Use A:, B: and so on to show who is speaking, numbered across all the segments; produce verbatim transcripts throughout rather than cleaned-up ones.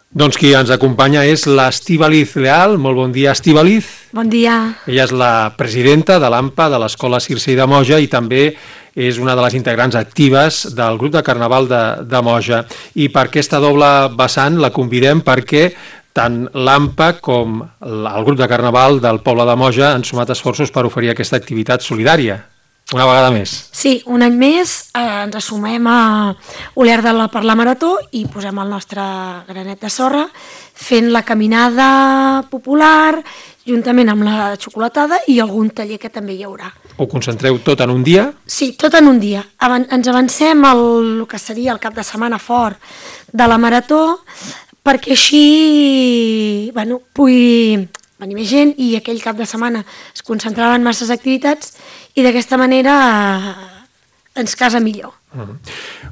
A: Doncs qui ens acompanya és l'Estíbaliz Leal. Molt bon dia, Estíbaliz.
B: Bon dia.
A: Ella és la presidenta de l'A M P A de l'Escola Circei de Moja i també és una de les integrants actives del grup de Carnaval de, de Moja. I per aquesta doble vessant la convidem perquè tant l'A M P A com el grup de Carnaval del poble de Moja han sumat esforços per oferir aquesta activitat solidària. Una vegada més.
B: Sí, un any més eh, ens assumem a Oliar de la per la Marató i posem el nostre granet de sorra fent la caminada popular juntament amb la xocolatada i algun taller que també hi haurà.
A: Ho concentreu tot en un dia?
B: Sí, tot en un dia. Avan- ens avancem al el que seria el cap de setmana fort de la Marató perquè així bueno, pugui venir més gent i aquell cap de setmana es concentraven masses activitats i d'aquesta manera eh, ens casa millor.
A: Uh-huh.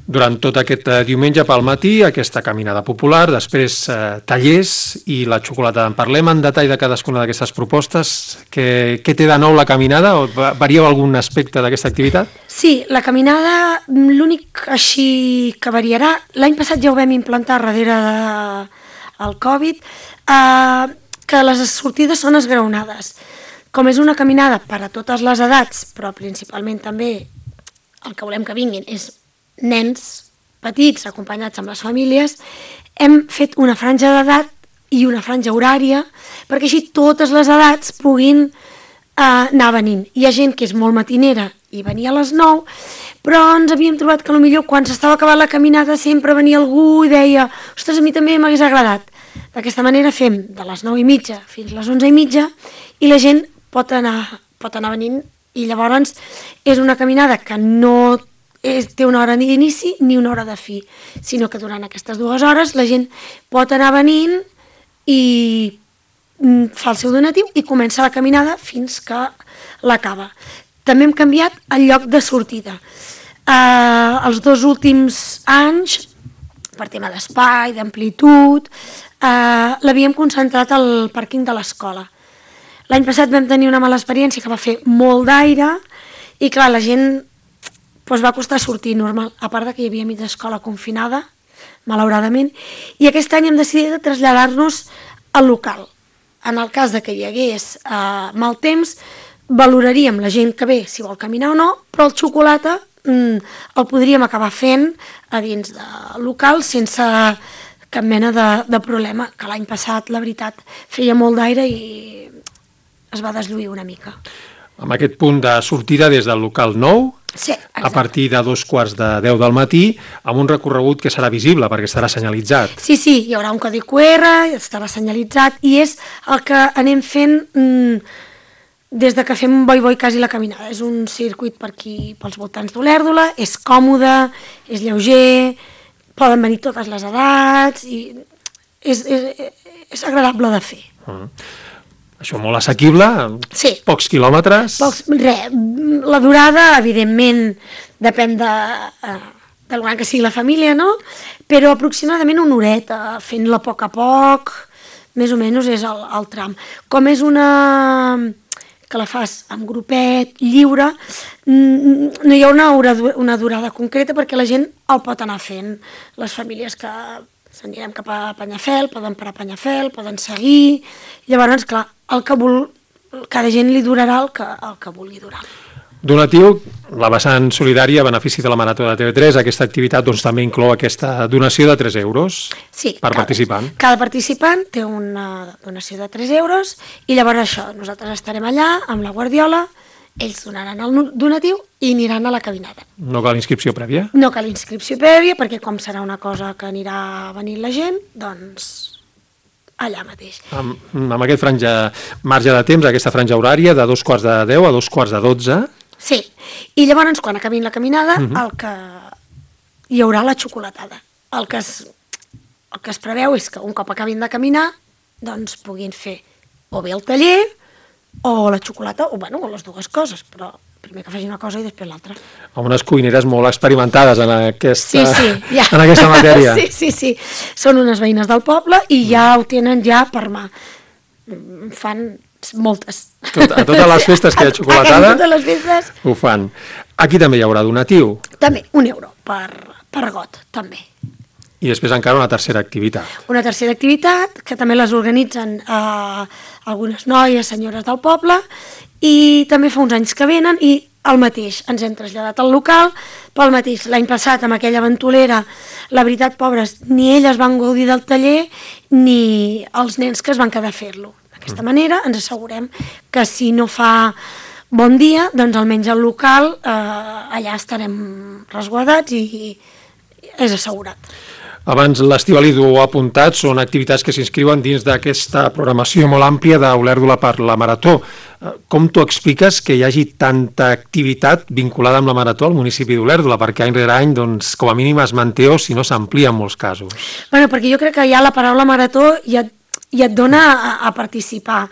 A: Durant tot aquest eh, diumenge pel matí, aquesta caminada popular, després eh, tallers i la xocolatada. En parlem en detall de cadascuna d'aquestes propostes. Què, què té de nou la caminada? O varieu algun aspecte d'aquesta activitat?
B: Sí, la caminada, l'únic així que variarà, l'any passat ja ho vam implantar darrere del Covid, eh, que les sortides són esgraonades. Com és una caminada per a totes les edats, però principalment també el que volem que vinguin és nens petits acompanyats amb les famílies, hem fet una franja d'edat i una franja horària perquè així totes les edats puguin eh, anar venint. Hi ha gent que és molt matinera i venia a les nou, però ens havíem trobat que potser quan s'estava acabant la caminada sempre venia algú i deia ostres, a mi també m'hagués agradat. D'aquesta manera fem de les nou i mitja fins a les onze i mitja i la gent pot anar, pot anar venint i llavors és una caminada que no és, té una hora d'inici ni una hora de fi, sinó que durant aquestes dues hores la gent pot anar venint i fa el seu donatiu i comença la caminada fins que l'acaba. També hem canviat el lloc de sortida. Eh, els dos últims anys, per tema d'espai, d'amplitud, eh, l'havíem concentrat al pàrquing de l'escola. L'any passat vam tenir una mala experiència que va fer molt d'aire i clar, la gent doncs, va costar sortir normal, a part de que hi havia mitja escola confinada, malauradament, i aquest any hem decidit de traslladar-nos al local. En el cas de que hi hagués eh, mal temps, valoraríem la gent que ve si vol caminar o no, però el xocolata mm, el podríem acabar fent a dins del local sense cap mena de, de problema, que l'any passat, la veritat, feia molt d'aire i es va deslluir una mica.
A: Amb aquest punt de sortida des del local nou,
B: sí,
A: a partir de dos quarts de deu del matí, amb un recorregut que serà visible perquè estarà senyalitzat.
B: Sí, sí, hi haurà un codi cu erre, estarà senyalitzat i és el que anem fent mmm, des de que fem boi-boi quasi la caminada. És un circuit per aquí, pels voltants d'Olèrdola, és còmode, és lleuger, poden venir totes les edats i és, és, és agradable de fer.
A: Uh-huh. Això molt assequible,
B: sí.
A: Pocs quilòmetres.
B: Pocs, re, la durada, evidentment, depèn de, del gran que sigui la família, no? Però aproximadament una horeta, fent-la a poc a poc, més o menys és el, el tram. Com és una que la fas amb grupet, lliure, no hi ha una, hora, una durada concreta perquè la gent el pot anar fent. Les famílies que s'anirem cap a Penyafel, poden parar a Penyafel, poden seguir, llavors, clar, el que vol, cada gent li durarà el que, el que vulgui durar.
A: Donatiu, la vessant solidària a benefici de la Marató de T V tres, aquesta activitat doncs, també inclou aquesta donació de tres euros
B: sí,
A: per
B: cada,
A: participant.
B: Cada participant té una donació de tres euros i llavors això, nosaltres estarem allà amb la guardiola, ells donaran el donatiu i aniran a la caminada.
A: No cal inscripció prèvia?
B: No cal inscripció prèvia perquè com serà una cosa que anirà venint la gent, doncs allà mateix.
A: Amb, amb aquest franja, marge de temps, aquesta franja horària de dos quarts de deu a dos quarts de dotze.
B: Sí, i llavors quan acabin la caminada
A: Uh-huh.
B: el que hi haurà la xocolatada. El que, es, el que es preveu és que un cop acabin de caminar doncs puguin fer o bé el taller o la xocolata, o bueno, o les dues coses, però primer que faci una cosa i després l'altra.
A: Amb unes cuineres molt experimentades en aquesta,
B: sí, sí, ja.
A: en aquesta matèria.
B: Sí, sí, sí. Són unes veïnes del poble i ja ho tenen ja per mà. Fan moltes.
A: Tot, a totes les festes que hi ha xocolatada,
B: a totes les festes
A: ho fan. Aquí també hi haurà donatiu.
B: També, un euro per, per got, també.
A: I després encara una tercera activitat.
B: Una tercera activitat, que també les organitzen eh, algunes noies, senyores del poble, i també fa uns anys que venen, i el mateix, ens hem traslladat al local, pel mateix, l'any passat amb aquella ventolera, la veritat, pobres, ni elles van gaudir del taller, ni els nens que es van quedar a fer-lo. D'aquesta manera ens assegurem que si no fa bon dia, doncs almenys al local eh, allà estarem resguardats i és assegurat.
A: Abans l'Estivali ho ha apuntat, són activitats que s'inscriuen dins d'aquesta programació molt àmplia d'Olèrdola per la Marató. Com t'ho expliques que hi hagi tanta activitat vinculada amb la Marató al municipi d'Olèrdola? Perquè any rere any, doncs, com a mínim es manté o si no s'amplia en molts casos.
B: Bueno, perquè jo crec que ja la paraula Marató ja, ja et dona a, a participar.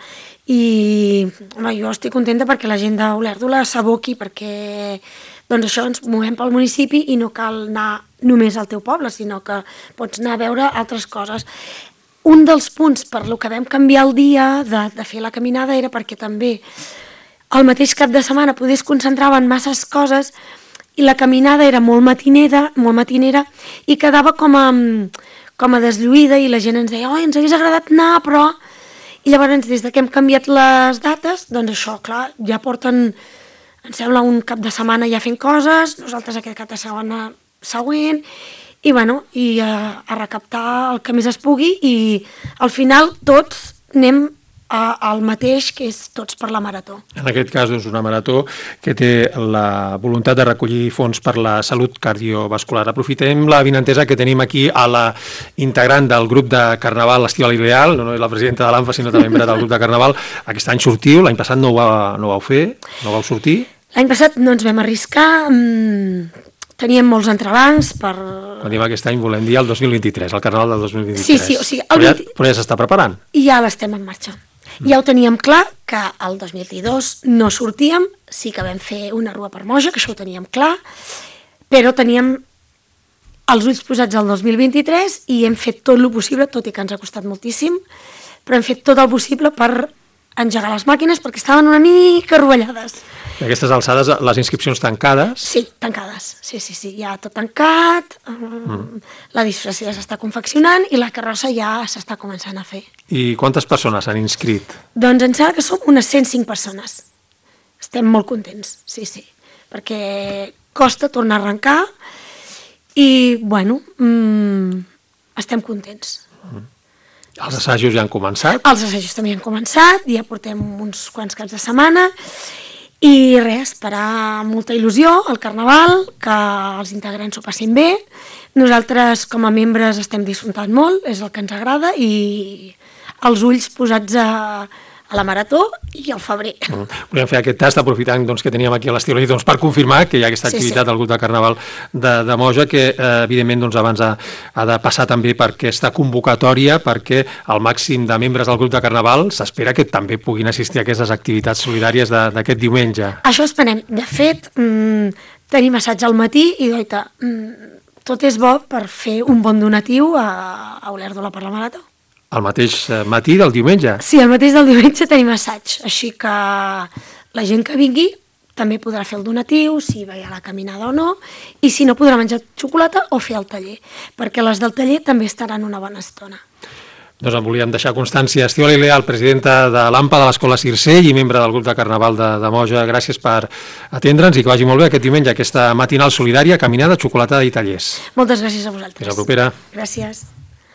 B: I home, jo estic contenta perquè la gent d'Olèrdola s'aboqui, perquè doncs això ens movem pel municipi i no cal anar només al teu poble, sinó que pots anar a veure altres coses. Un dels punts per lo que vam canviar el dia de, de fer la caminada era perquè també el mateix cap de setmana poder es concentrava en masses coses i la caminada era molt matinera, molt matinera i quedava com a, com a deslluïda i la gent ens deia, oh, ens hagués agradat anar, però... I llavors, des que hem canviat les dates, doncs això, clar, ja porten, em sembla, un cap de setmana ja fent coses, nosaltres aquest cap de setmana següent, i bueno, i a, a recaptar el que més es pugui, i al final tots anem a, al mateix, que és tots per la Marató.
A: En aquest cas, doncs, una Marató que té la voluntat de recollir fons per la salut cardiovascular. Aprofitem la vinentesa que tenim aquí a la integrant del grup de Carnaval, l'Estivali Leal, no només la presidenta de l'ANFA, sinó també membre del grup de Carnaval. Aquest any sortiu, l'any passat no ho, va, no ho vau fer, no vau sortir?
B: L'any passat no ens vam arriscar, mmm, teníem molts entrebancs per...
A: Quan diem aquest any volem dir el dos mil vint-i-tres, el Carnaval del dos mil vint-i-tres.
B: Sí, sí, o sigui...
A: Però ja, però ja s'està preparant.
B: I ja l'estem en marxa. Ja ho teníem clar, que el dos mil vint-i-dos no sortíem, sí que vam fer una rua per Moja, que això ho teníem clar, però teníem els ulls posats al dos mil vint-i-tres i hem fet tot el possible, tot i que ens ha costat moltíssim, però hem fet tot el possible per engegar les màquines perquè estaven una mica rovellades.
A: I aquestes alçades, les inscripcions tancades?
B: Sí, tancades, sí, sí, sí, ja tot tancat, mm. la disfressa ja s'està confeccionant i la carrossa ja s'està començant a fer.
A: I quantes persones s'han inscrit?
B: Doncs em sembla que som unes cent cinc persones. Estem molt contents, sí, sí, perquè costa tornar a arrencar i, bueno, mmm, estem contents.
A: Mm. Els assajos ja han començat?
B: Els assajos també han començat, ja portem uns quants caps de setmana i res, esperar molta il·lusió al Carnaval, que els integrants s'ho passin bé. Nosaltres com a membres estem disfrutant molt, és el que ens agrada i els ulls posats a, a la Marató i al febrer.
A: Mm. Volíem fer aquest tast aprofitant doncs, que teníem aquí a l'Estivali doncs, per confirmar que hi ha aquesta activitat sí, sí. del grup de Carnaval de, de Moja que eh, evidentment doncs, abans ha, ha de passar també per aquesta convocatòria perquè el màxim de membres del grup de Carnaval s'espera que també puguin assistir a aquestes activitats solidàries d'aquest diumenge.
B: Això esperem. De fet, mmm, tenim assaig al matí i doita, mmm, tot és bo per fer un bon donatiu a, a Olèrdola per la Marató.
A: El mateix matí del diumenge?
B: Sí, el mateix del diumenge tenim assaig, així que la gent que vingui també podrà fer el donatiu, si va a la caminada o no, i si no podrà menjar xocolata o fer el taller, perquè les del taller també estaran una bona estona.
A: Doncs en volíem deixar constància. Estivali Leal, presidenta de l'AMPA de l'Escola Circell i membre del grup de Carnaval de, de Moja, gràcies per atendre'ns i que vagi molt bé aquest diumenge, aquesta matinal solidària, caminada, xocolatada i tallers.
B: Moltes gràcies a vosaltres.
A: Fins la propera.
B: Gràcies.